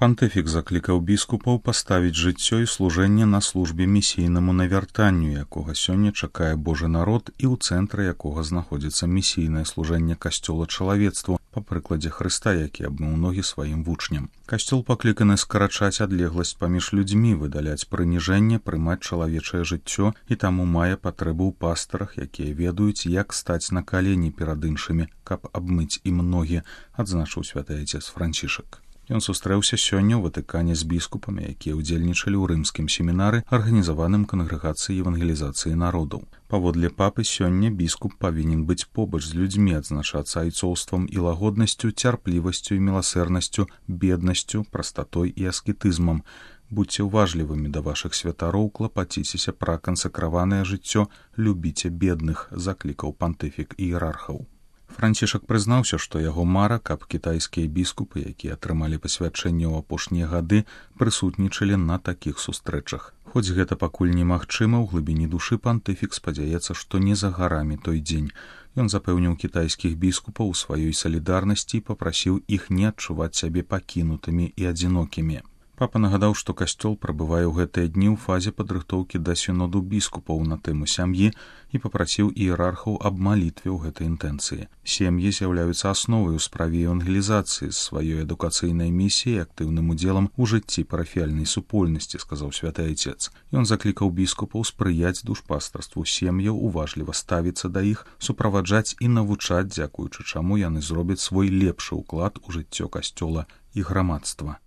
Пантыфік заклікаў біскупаў паставіць жыццё і служэнне на службе місійнаму навяртанню, якога сёння чакае Божы народ і ў цэнтры якога знаходзіцца місійнае служэнне касцёла чалавецтву па прыкладзе Хрыста, які абмыў ногі сваім вучням. Касцёл пакліканы скарачаць адлегласць паміж людзьмі, выдаляць прыніжэнне, прымаць чалавечае жыццё і таму мае патрэбу ў пастарах, якія ведаюць, як стаць на калені перад іншымі, каб абмыць ім ногі, адзначыў святы айцец Францішак. Ён сустрэўся сёння ў Ватыкане з біскупамі, якія ўдзельнічалі ў рымскім семінары, арганізаваным кангрэгацыяй евангелізацыі народаў. Паводле папы сёння біскуп павінен быць побач з людзьмі, адзначацца айцоўствам і лагоднасцю, цярплівасцю і міласэрнасцю, беднасцю, прастатой і аскетызмам. Будьце ўважлівымі да вашых святароў, клапаціцеся пра кансакраванае жыццё, любіце бедных, заклікаў пантыфік іерархаў. Францішак прызнаўся, што яго мара, каб кітайскія біскупы, якія атрымалі пасвячэнне ў апошнія гады, прысутнічалі на такіх сустрэчах. Хоць гэта пакуль немагчыма, ў глыбіні душы пантыфік спадзяецца, што не за гарамі той дзень. Ён запэўніў кітайскіх біскупаў у сваёй салідарнасці і папрасіў іх не адчуваць сябе пакінутымі і адзінокімі. Папа нагадаў, што касцёл прабывае ў гэтыя дні ў фазе падрыхтоўкі да сіноду біскупаў на тэму сям'і і папрасіў іерархаў аб малітве ў гэтай інтэнцыі. Сем'і з'яўляюцца асновай у справе евангелізацыі з сваёй адукацыйнай місіяй і актыўным удзелам у жыцці парафіяльнай супольнасці, сказаў святы айцец. Ён заклікаў біскупаў спрыяць душпастарству сем'яў, уважліва ставіцца да іх, суправаджаць і навучаць, дзякуючы чаму яны зробяць свой лепшы ўклад у жыццё касцёла і грамадства.